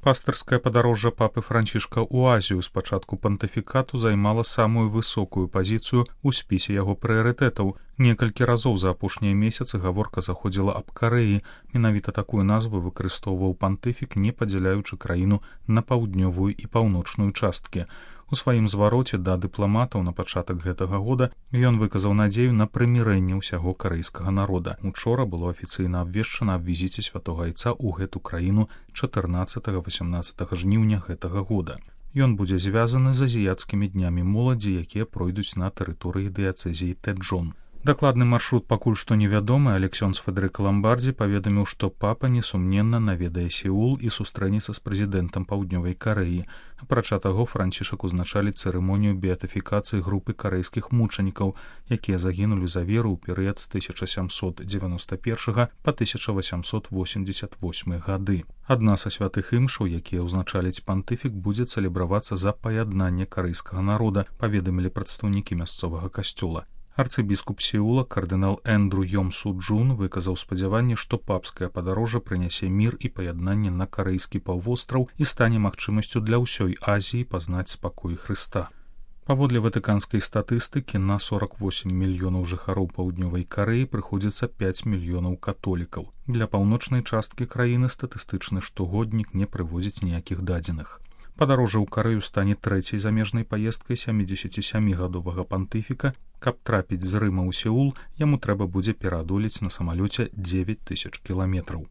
Пастырскае падарожжа папы Францішка ў Азію з пачатку пантыфікату займала самую высокую пазіцыю ў спісе яго прыярытэтаў. Некалькі разоў за апошнія месяцы гаворка заходзіла аб Карэі. Менавіта такую назву выкарыстоўваў пантыфік, не падзяляючы краіну на паўднёвую і паўночную часткі. У сваім звароце да дыпламатаў на пачатак гэтага года ён выказаў надзею на прымірэнне ўсяго карэйскага народа. Учора было афіцыйна абвешчана аб візіце святога айца ў гэту краіну 14-18 жніўня гэтага года. Ён будзе звязаны з азіяцкімі днямі моладзі, якія пройдуць на тэрыторыі дыяцэзіі Тэджон. Дакладны маршрут пакуль што невядомы, але ксёндз Федэрыка Ламбардзі паведаміў, што папа несумненна наведае Сеул і сустрэнецца з прэзідэнтам Паўднёвай Карэі. Апрача таго, Францішак узначаліць цырымонію беатыфікацыі групы карэйскіх мучанікаў, якія загінулі за веру ў перыяд з 1791 па 1888 гады. Адна са святых імшаў, якія ўзначаліць пантыфік, будзе цэлебравацца за паяднанне карэйскага народа, паведамілі прадстаўнікі мясцовага касцёла. Арцыбіскуп Сеула, кардынал Эндру Йом Су Джун, выказаў спадзяванне, што папскае падарожжа прынясе мір і паяднанне на карэйскі паўвостраў і стане магчымасцю для ўсёй Азіі пазнаць спакой Хрыста. Паводле ватыканскай статыстыкі, на 48 мільёнаў жыхароў Паўднёвай Карэі прыходзіцца 5 мільёнаў католікаў. Для паўночнай часткі краіны статыстычны штогоднік не прыводзіць ніякіх дадзеных. Падарожжа ў Карэю стане трэцяй замежнай паездкай 77-гадовага пантыфіка. Каб трапіць з Рыма ў Сеул, яму трэба будзе пераадолець на самалёце 9000 кіламетраў.